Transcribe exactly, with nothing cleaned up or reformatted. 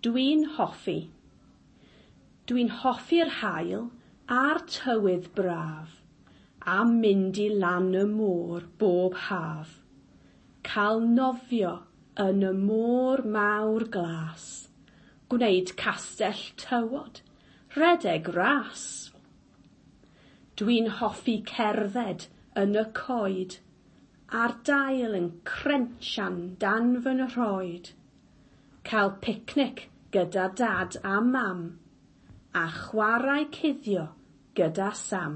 Dwi'n hoffi. Dwi'n hoffi'r haul a'r tywydd braf, a mynd i lan y môr bob haf. Cael nofio yn y môr mawr glas, gwneud castell tywod, rhedeg ras. Dwi'n hoffi cerdded yn y coed, a'r dail yn crensian dan fy nhroed. Cael picnic gyda dad a mam, a chwarae cuddio gyda Sam.